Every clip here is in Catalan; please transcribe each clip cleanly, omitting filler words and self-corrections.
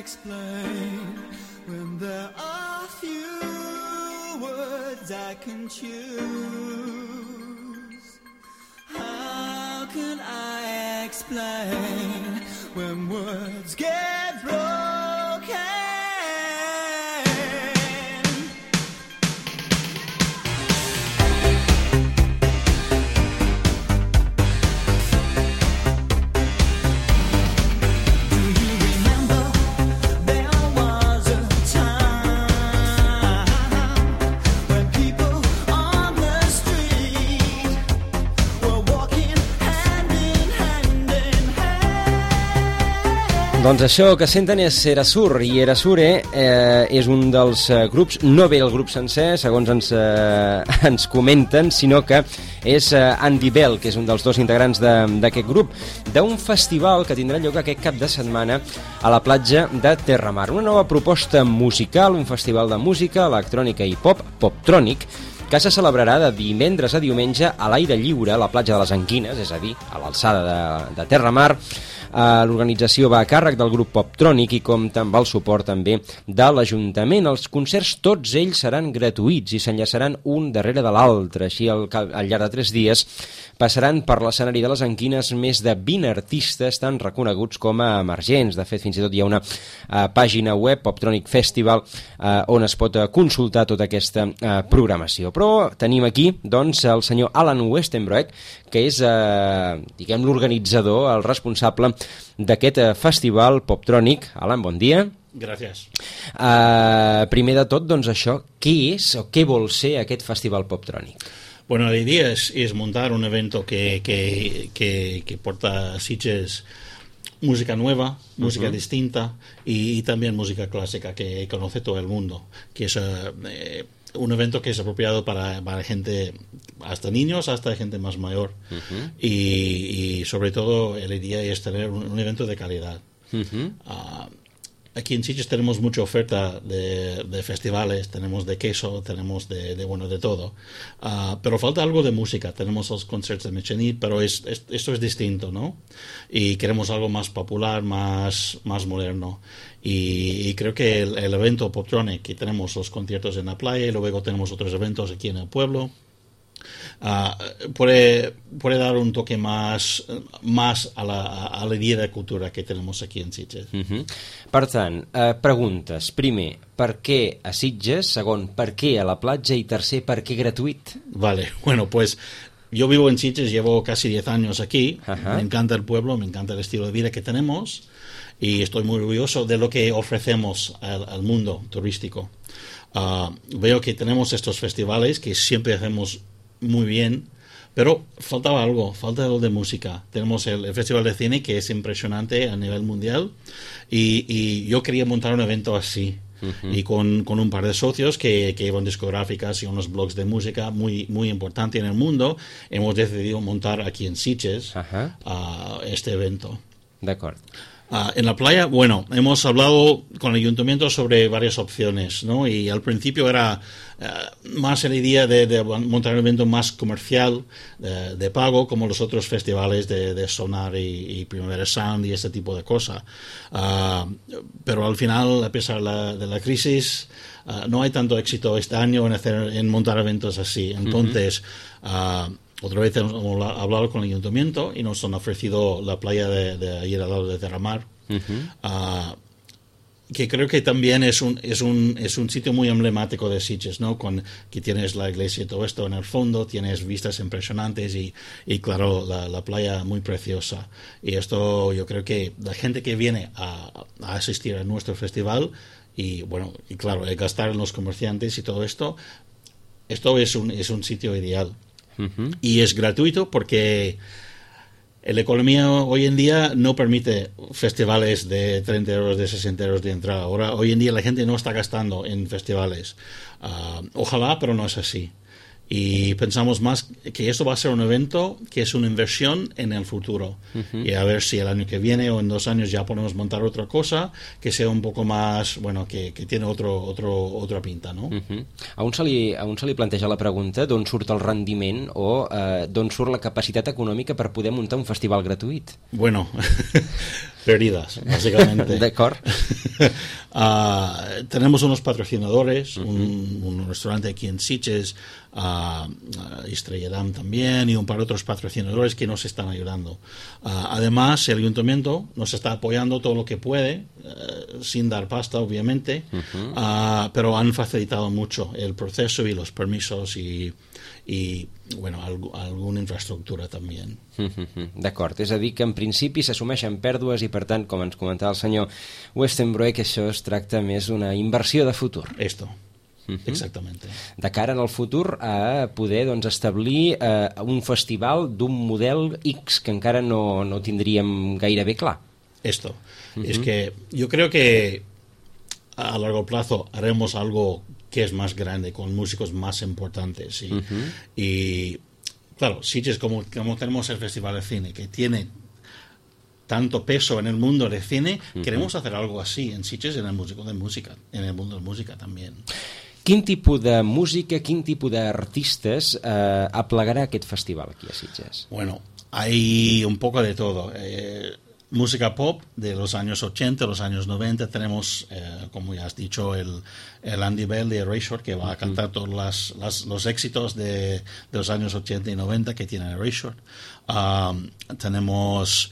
explain when there are few words I can choose? How can I explain when words get broken? Doncs això que senten és Erasure, i Erasure és un dels grups, no ve el grup sencer, segons ens comenten, sinó que és Andy Bell, que és un dels dos integrants d'aquest grup, d'un festival que tindrà lloc aquest cap de setmana a la platja de Terramar. Una nova proposta musical, un festival de música, electrònica i pop, Poptronic, que se celebrarà de divendres a diumenge a l'aire lliure a la platja de les Anquines, és a dir, a l'alçada de Terramar. L'organització va a càrrec del grup Poptronic i compta amb el suport també de l'Ajuntament. Els concerts, tots ells, seran gratuïts i s'enllaçaran un darrere de l'altre. Així, al llarg de 3 dies, passaran per l'escenari de les Anquines més de 20 artistes tan reconeguts com a emergents. De fet, fins i tot hi ha una pàgina web, Poptronic Festival, on es pot consultar tota aquesta programació. Però tenim aquí, doncs, el senyor Alan Westenbroek, que és, diguem, l'organitzador, el responsable d'aquest festival Poptronic. Alan, bon dia. Gràcies. Primer de tot, doncs això, què és o què vol ser aquest festival Poptronic? Bueno, la idea es montar un evento que porta a Sitges música nueva, música distinta y también música clásica que conoce todo el mundo, que es un evento que es apropiado para gente, hasta niños, hasta gente más mayor, y sobre todo la idea es tener un evento de calidad. Aquí en Sitges tenemos mucha oferta de festivales, tenemos de queso, tenemos de todo, pero falta algo de música. Tenemos los concerts de Mechenit, pero esto es distinto, ¿no? Y queremos algo más popular, más moderno. Y creo que el evento Poptronic, que tenemos los conciertos en la playa y luego tenemos otros eventos aquí en el pueblo, puede dar un toque más a la idea de cultura que tenemos aquí en Sitges. Per tant, preguntes. Primer, per què a Sitges? Segon, per què a la platja? I tercer, per què gratuït? Vale, bueno, pues yo vivo en Sitges, llevo casi 10 años aquí. Me encanta el pueblo, me encanta el estilo de vida que tenemos y estoy muy orgulloso de lo que ofrecemos al mundo turístico. Veo que tenemos estos festivales que siempre hacemos muy bien, pero faltaba algo de música. Tenemos el Festival de Cine, que es impresionante a nivel mundial, y yo quería montar un evento así, y con un par de socios que llevan discográficas y unos blogs de música muy, muy importante en el mundo. Hemos decidido montar aquí en Sitges este evento. D'acord. En la playa, bueno, hemos hablado con el ayuntamiento sobre varias opciones, ¿no? Y al principio era más la idea de montar un evento más comercial, de pago, como los otros festivales de Sonar y Primavera Sound y ese tipo de cosas. Pero al final, a pesar de la crisis, no hay tanto éxito este año en montar eventos así. Entonces, otra vez hemos hablado con el ayuntamiento y nos han ofrecido la playa de ahí al lado de Terramar, que creo que también es un sitio muy emblemático de Sitges, ¿no? Que tienes la iglesia y todo esto en el fondo, tienes vistas impresionantes y claro, la playa muy preciosa. Y esto yo creo que la gente que viene a asistir a nuestro festival y bueno, y claro, gastar en los comerciantes y todo esto es un sitio ideal. Y es gratuito porque la economía hoy en día no permite festivales de 30 euros, de 60 euros de entrada. Hoy en día la gente no está gastando en festivales. Ojalá, pero no es así. Y pensamos más que esto va a ser un evento que es una inversión en el futuro. Y a ver si el año que viene o en 2 años ya podemos montar otra cosa que sea un poco más, bueno, que tiene otra pinta, ¿no? A un se li planteja la pregunta d'on surt el rendiment o d'on surt la capacitat econòmica per poder muntar un festival gratuït. Bueno, perdidas, básicamente. D'acord. Tenemos unos patrocinadores, un restaurante aquí en Sitges, Estrella Damm también, y un par de otros patrocinadores que nos están ayudando. Además, el ayuntamiento nos está apoyando todo lo que puede, sin dar pasta, obviamente, pero han facilitado mucho el proceso y los permisos y bueno, alguna infraestructura també. D'acord, és a dir que en principi s'assumeixen pèrdues i per tant, com ens comentava el senyor Westenbroek, que això es tracta més d'una inversió de futur. Esto, exactamente. De cara en el futur a poder doncs, establir un festival d'un model X que encara no tindríem gairebé clar. Esto, es que yo creo que a largo plazo haremos algo que es más grande, con músicos más importantes. Y claro, Sitges, como tenemos el Festival de Cine, que tiene tanto peso en el mundo del cine, queremos hacer algo así en Sitges, en el mundo de música también. Quin tipus de música, quin tipus d'artistes aplegarà aquest festival aquí a Sitges? Bueno, hay un poco de todo. Música pop de los años 80, los años 90. Tenemos, como ya has dicho, el Andy Bell de Erasure, que va a cantar todos los éxitos de los años 80 y 90 que tiene Erasure. Tenemos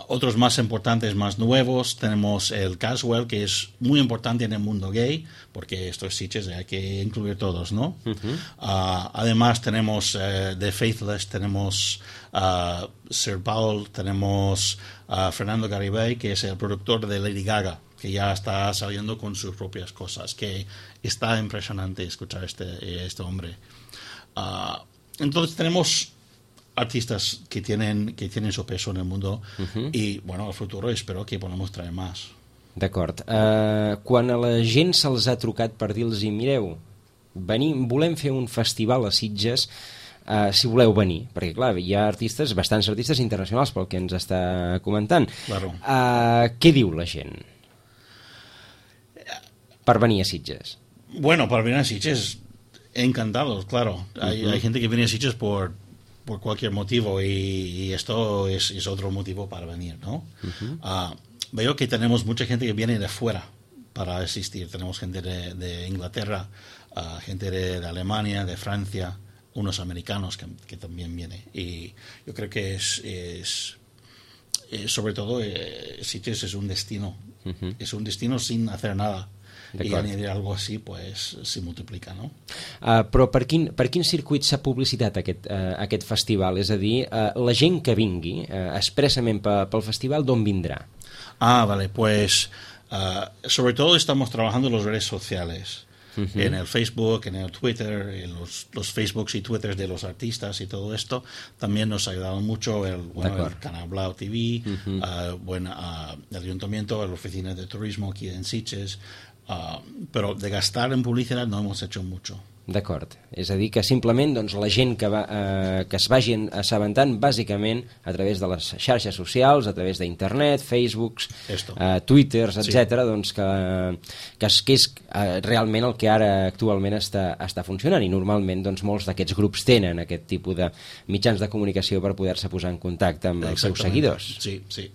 otros más importantes, más nuevos. Tenemos el Caswell, que es muy importante en el mundo gay, porque esto es Sitges, hay que incluir todos, ¿no? Además tenemos The Faithless, tenemos Sir Paul, tenemos Fernando Garibay, que es el productor de Lady Gaga, que ya está saliendo con sus propias cosas, que está impresionante escuchar este hombre. Entonces tenemos artistas que tienen su peso en el mundo i, bueno, al futur espero que podamos traer más. D'acord. Quan a la gent se'ls ha trucat per dir-los mireu, volem fer un festival a Sitges, si voleu venir, perquè clar, hi ha bastants artistes internacionals pel que ens està comentant. Claro. Què diu la gent per venir a Sitges? Bueno, para venir a Sitges, encantados, claro. Hay gente que viene a Sitges por cualquier motivo y esto es otro motivo para venir, ¿no? Veo que tenemos mucha gente que viene de fuera para asistir. Tenemos gente de Inglaterra, gente de Alemania, de Francia, unos americanos que también vienen. Y yo creo que es sobre todo, Sitges es un destino. Es un destino sin hacer nada. I añadir algo així, pues, s'hi multiplica, no? Però per quin circuit s'ha publicitat aquest festival? És a dir, la gent que vingui expressament pel festival, d'on vindrà? Vale, pues sobre todo estamos trabajando en las redes sociales, en el Facebook, en el Twitter, en los Facebooks y Twitters de los artistas y todo esto. También nos ha ayudado mucho el Canal Blau TV, el Ayuntamiento, la Oficina de Turismo aquí en Sitges. Però de gastar en publicitat no hemos hecho mucho. D'acord, és a dir que simplement doncs, la gent que es vagin assabentant bàsicament a través de les xarxes socials, a través d'internet, Facebooks, Twitters, etc., doncs que és realment el que ara actualment està funcionant, i normalment doncs, molts d'aquests grups tenen aquest tipus de mitjans de comunicació per poder-se posar en contacte amb els seus seguidors. Sí, sí.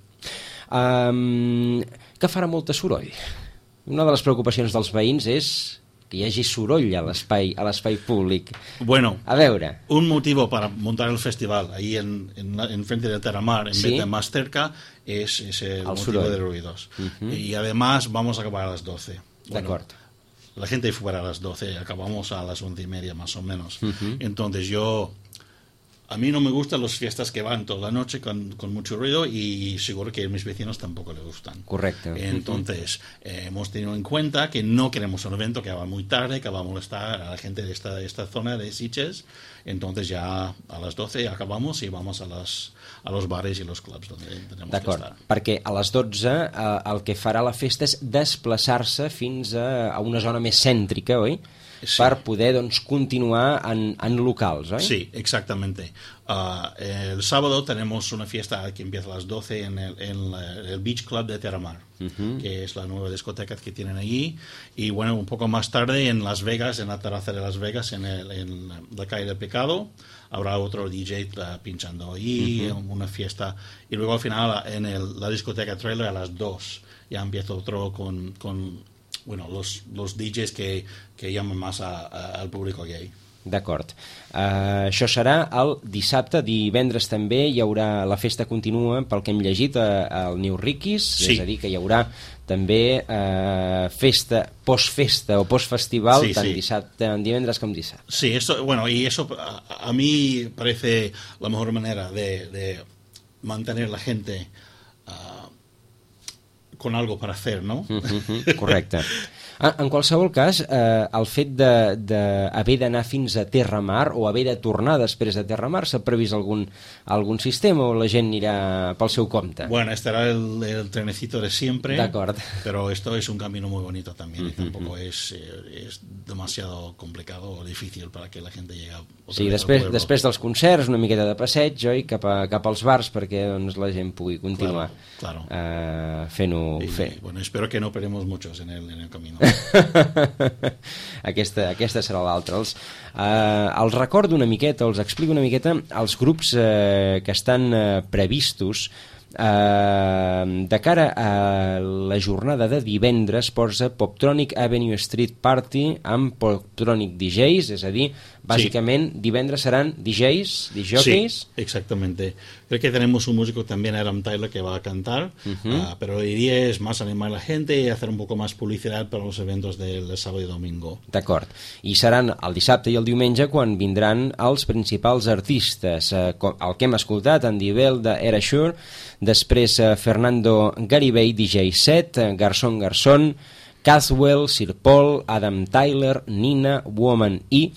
Que farà molta soroll? Una de les preocupacions dels veïns és que hi hagi soroll a l'espai públic. Bueno, a veure. Un motivo para montar el festival ahí en frente de Terramar, en vez de más cerca, es el motivo de ruidos. Y además vamos a acabar a las 12. De acuerdo. La gente fuera a las 12, acabamos a las 11:30 más o menos. Entonces a mí no me gustan las fiestas que van toda la noche con mucho ruido, y seguro que a mis vecinos tampoco les gustan. Correcto. Entonces, hemos tenido en cuenta que no queremos un evento que va muy tarde, que va a molestar a la gente de esta zona de Sitges. Entonces ya a las 12 acabamos y vamos a los bares y los clubs donde tenemos que estar. Perquè a les 12 el que farà la festa és desplaçar-se fins a una zona més cèntrica, oi? per poder doncs, continuar en locals, oi? Sí, exactamente. El sábado tenemos una fiesta que empieza a las 12 en el Beach Club de Terramar, que es la nueva discoteca que tienen allí. Y bueno, un poco más tarde en Las Vegas, en la terraza de Las Vegas, en la calle del Pecado, habrá otro DJ pinchando allí, una fiesta. Y luego al final en la discoteca Trailer a las 2 ya empieza otro con bueno, los DJs que llaman más al público gay. D'acord. Això serà el dissabte. Divendres també hi haurà la festa continua, pel que hem llegit, al New Ricky's, sí. És a dir, que hi haurà també festa, postfesta o postfestival, sí, tant sí. dissabte, divendres com dissabte. Sí, y eso a mí parece la mejor manera de mantener la gente con algo para hacer, ¿no? Correcte. En qualsevol cas, el fet d'haver d'anar fins a Terramar o haver de tornar després de Terramar, s'ha previst algun sistema o la gent anirà pel seu compte? Bueno, estará el trenecito de siempre. De acuerdo. Pero esto es un camino muy bonito también y tampoco es demasiado complicado o difícil para que la gente llegue a Sí, després dels concerts, una miqueta de passeig, oi? Cap als bars perquè doncs, la gent pugui continuar claro. fent-ho. Bueno, espero que no perdemos muchos en el camino. Aquesta serà l'altra. Els recordo una miqueta, els explico una miqueta els grups que estan previstos de cara a la jornada de divendres. Posa Poptronic Avenue Street Party amb Poptronic DJs, és a dir, básicamente sí. Divendres seran DJs, disjockeys. Sí, exactamente. Creo que tenemos un músico también, Adam Tyler, que va a cantar, pero la idea es más animar a la gente y hacer un poco más publicidad para los eventos del sábado i domingo. D'acord. I seran el dissabte i el diumenge quan vindran els principals artistes. El que hem escoltat, Andy Bell de Erasure, després Fernando Garibay, DJ set, Garçon Garçon, Caswell, Sir Paul, Adam Tyler, Nina, Woman E,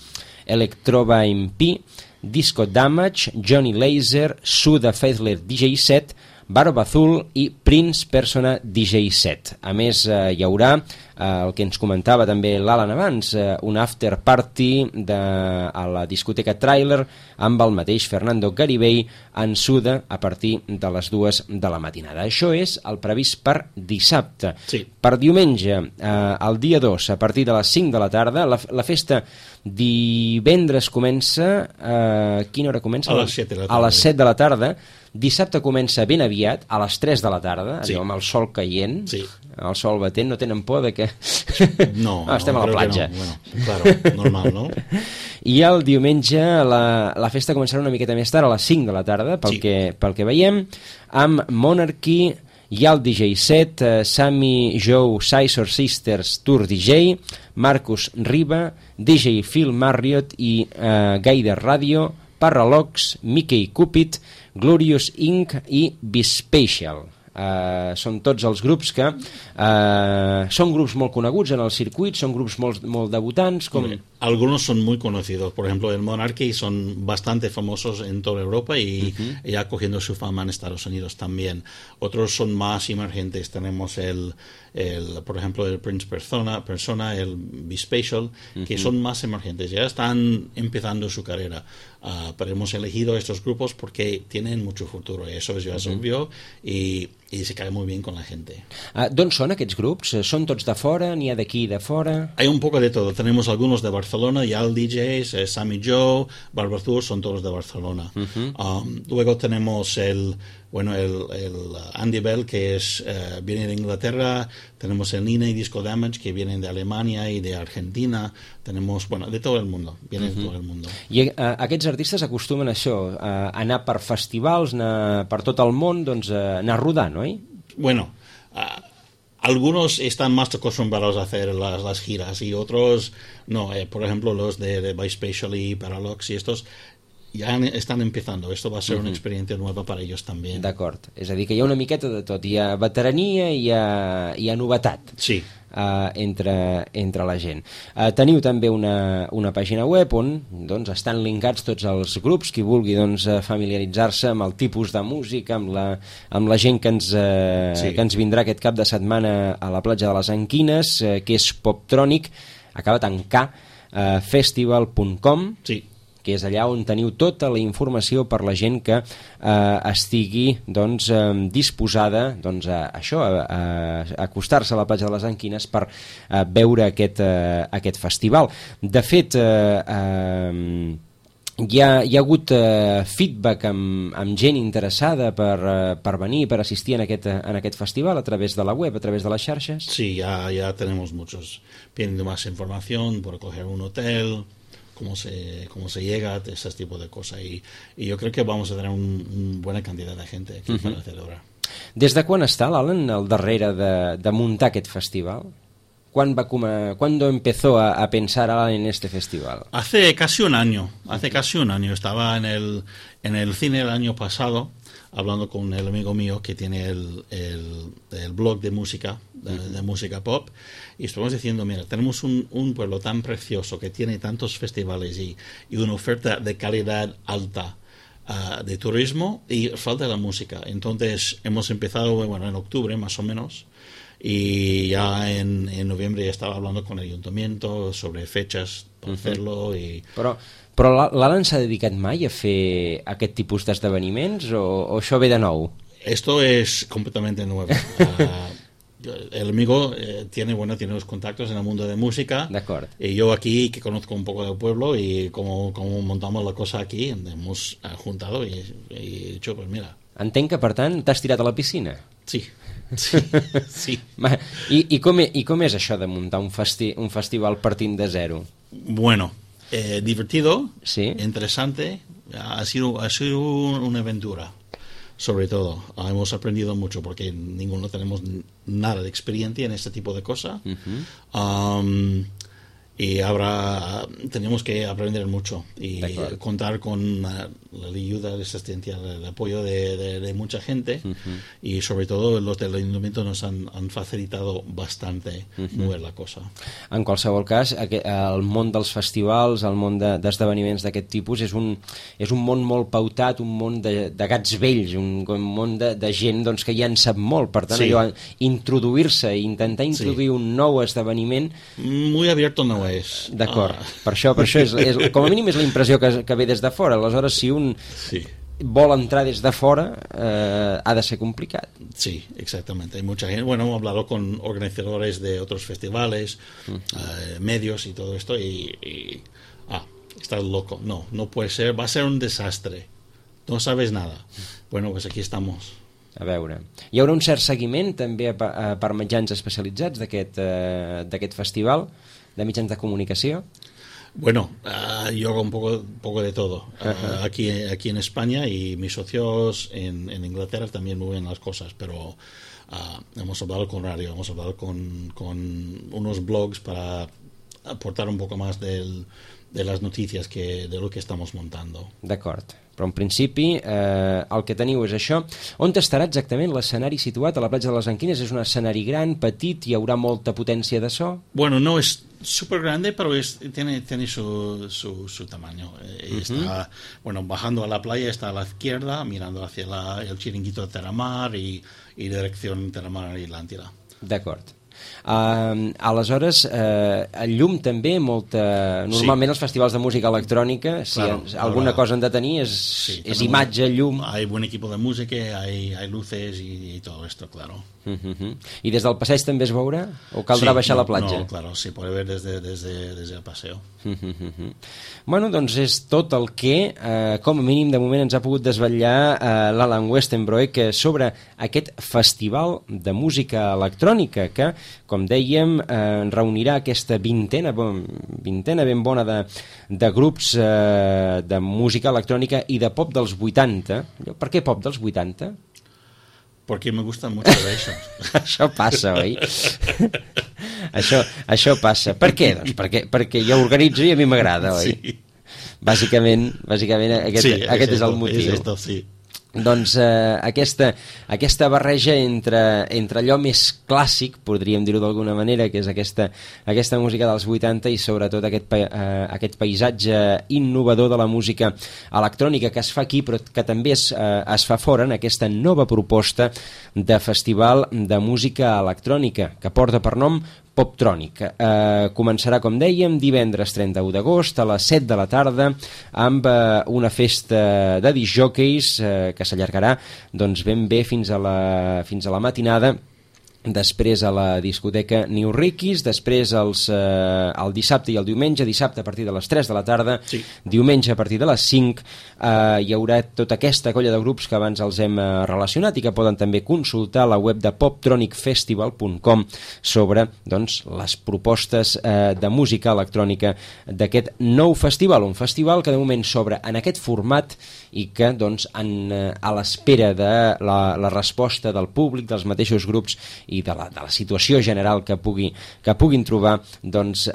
Electrova MP, Disco Damage, Johnny Laser, Suda Faithler DJ set, Barba Azul i Prince Persona DJ set. A més, hi haurà el que ens comentava també l'Alan abans, un after party a la discoteca Trailer amb el mateix Fernando Garibay en Suda a partir de les 2 de la matinada. Això és el previst per dissabte. Sí. Per diumenge, el dia 2, a partir de les 5 de la tarda, la festa divendres comença... A quina hora comença? A les 7 de la tarda. A les 7 de la tarda. Dissabte comença ben aviat, a les 3 de la tarda, sí. amb el sol caient, sí. el sol batent, no tenen por de que... No, estem a la platja. No. Bueno, claro, normal, no? I el diumenge la festa començarà una miqueta més tard, a les 5 de la tarda, pel que veiem, amb Monarchy, hi ha el DJ set, Sammy Joe Sizor Sisters Tour DJ, Marcus Riba, DJ Phil Marriott i Gaider Radio, Parralox, Mickey Cupid, Glorious Inc. i Bispatial. Són tots els grups que són grups molt coneguts en el circuit, són grups molt debutants. Algunos son muy conocidos, por ejemplo el Monarchy son bastante famosos en toda Europa y ya cogiendo su fama en Estados Unidos también. Otros son más emergentes, tenemos por ejemplo el Prince Persona, el Bispatial, que son más emergentes, ya están empezando su carrera, pero hemos elegido estos grupos porque tienen mucho futuro y eso ya es obvio y se cae muy bien con la gente. D'on són aquests grups? Són tots de fora? N'hi ha d'aquí de fora? Hay un poco de todo, tenemos algunos de Barcelona, Yal DJs, Sammy Joe, Barba Azul, son todos de Barcelona. Luego tenemos el Andy Bell, que viene de Inglaterra, tenemos el Nina y Disco Damage, que vienen de Alemania y de Argentina, tenemos, de todo el mundo, vienen de todo el mundo. I aquests artistes acostumen a això, a anar per festivals, anar per tot el món, doncs anar rodant, oi? Bueno, algunos están más acostumbrados a hacer las giras y otros no. Por ejemplo, los de Bispatial y Paralox y estos ja estan empezando. Esto va a ser una experiencia nueva para ellos també. D'acord. És a dir, que hi ha una miqueta de tot. Hi ha veterania i hi ha novetat. Sí. Entre la gent. Teniu també una pàgina web on doncs, estan linkats tots els grups, qui vulgui doncs, familiaritzar-se amb el tipus de música, amb la gent que ens vindrà aquest cap de setmana a la platja de les Anquines, que és Poptronic, acaba en K, festival.com, Sí. que és allà on teniu tota la informació per la gent que estigui doncs, disposada doncs, a acostar-se a la platja de les Anquines per veure aquest festival. De fet, hi ha hagut feedback amb gent interessada per venir, per assistir en aquest festival a través de la web, a través de les xarxes? Sí, ya tenemos muchos pidiendo más información por coger un hotel, cómo se llega, ese tipo de cosas. Y yo creo que vamos a tener una buena cantidad de gente aquí para celebrar. Des de quan està l'Alan al darrere de muntar aquest festival? ¿Cuándo empezó a pensar Alan en este festival? Hace casi un año. Estaba en el cine el año pasado, hablando con el amigo mío que tiene el blog de música, de música pop, y estuvimos diciendo, mira, tenemos un pueblo tan precioso que tiene tantos festivales y una oferta de calidad alta de turismo, y falta la música. Entonces hemos empezado, en octubre más o menos, y ya en noviembre ya estaba hablando con el ayuntamiento sobre fechas para hacerlo. Però l'Alan s'ha dedicat mai a fer aquest tipus d'esdeveniments o això ve de nou? Esto es completamente nuevo. El amigo tiene los contactos en el mundo de música. De acuerdo. Y yo aquí, que conozco un poco del pueblo y como montamos la cosa aquí, hemos juntado y he dicho, pues mira. Entenc que, per tant, t'has tirat a la piscina. Sí. I com és això de muntar un festival partint de zero? Bueno, divertido, ¿sí? Interesante, ha sido una aventura. Sobre todo, hemos aprendido mucho porque ninguno tenemos nada de experiencia en este tipo de cosas. Y ahora tenemos que aprender mucho y contar con la ayuda, la asistencia, el apoyo de mucha gente, y sobre todo los del ayuntamiento nos han facilitado bastante mover la cosa. En qualsevol cas, el món dels festivals, el món d'esdeveniments d'aquest tipus és un món molt pautat, un món de gats vells, un món de gent doncs, que ja en sap molt, per tant allò, introduir-se i intentar introduir un nou esdeveniment muy abierto no és. D'acord, per això és, com a mínim és la impressió que ve des de fora. Aleshores, si un vol entrar des de fora, ha de ser complicat. Sí, exactamente. Hay mucha gente. Bueno, hemos hablado con organizadores de otros festivales, medios y todo esto, y estás loco. No puede ser, va a ser un desastre. No sabes nada. Bueno, pues aquí estamos. A veure, hi haurà un cert seguiment també per mitjans especialitzats d'aquest festival, de mitjans de comunicació? Bueno, yo hago un poco de todo. Aquí en España, y mis socios en Inglaterra también mueven las cosas, pero hemos hablado con radio, hemos hablado con unos blogs para aportar un poco más de las noticias de lo que estamos montando. D'acord, però en principi el que teniu és això. On estarà exactament l'escenari situat? A la platja de les Anquines és un escenari gran, petit, hi haurà molta potència de so? Bueno, no es súper grande, pero tiene su tamaño. Está, bajando a la playa, está a la izquierda, mirando hacia el chiringuito de Terramar y dirección Terramar y Atlántida. D'acord. Aleshores, el llum també normalment els festivals de música electrònica, si alguna cosa han de tenir és imatge, llum. Hay buen equipo de música, hay luces y todo esto, claro. I des del passeig també es veurà? O caldrà baixar a la platja? No, claro, se puede ver desde el paseo. Bueno, doncs és tot el que com a mínim de moment ens ha pogut desvetllar l'Alan Westenbroek sobre aquest festival de música electrònica que, com dèiem, reunirà aquesta vintena ben bona de grups de música electrònica i de pop dels 80. Per què pop dels 80? Porque me gusta mucho de eso. Això passa, oi? Això passa. Per què? Doncs perquè jo organitzo i a mi m'agrada, oi? Sí. Bàsicament aquest és el motiu. És esto, sí. Doncs aquesta barreja entre allò més clàssic, podríem dir-ho d'alguna manera, que és aquesta música dels 80 i sobretot aquest paisatge innovador de la música electrònica que es fa aquí però que també es fa fora en aquesta nova proposta de festival de música electrònica que porta per nom Poptronic. Començarà, com dèiem, divendres 31 d'agost a les 7 de la tarda amb una festa de discjòqueis que s'allargarà doncs, ben bé fins a la matinada. Després a la discoteca New Rickies, després el dissabte i el diumenge, dissabte a partir de les 3 de la tarda, sí. Diumenge a partir de les 5, hi haurà tota aquesta colla de grups que abans els hem relacionat i que poden també consultar a la web de poptronicfestival.com sobre doncs, les propostes de música electrònica d'aquest nou festival, un festival que de moment s'obre en aquest format i que doncs, a l'espera de la resposta del públic, dels mateixos grups i de la situació general que puguin trobar, doncs,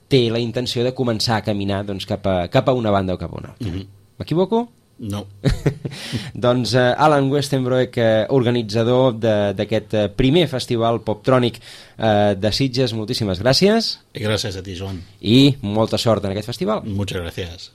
té la intenció de començar a caminar doncs, cap a una banda o cap a una altra. M'equivoco? No. Doncs Alan Westenbroek, organitzador d'aquest primer festival Poptronic de Sitges, moltíssimes gràcies. Gràcies a ti, Joan. I molta sort en aquest festival. Muchas gracias.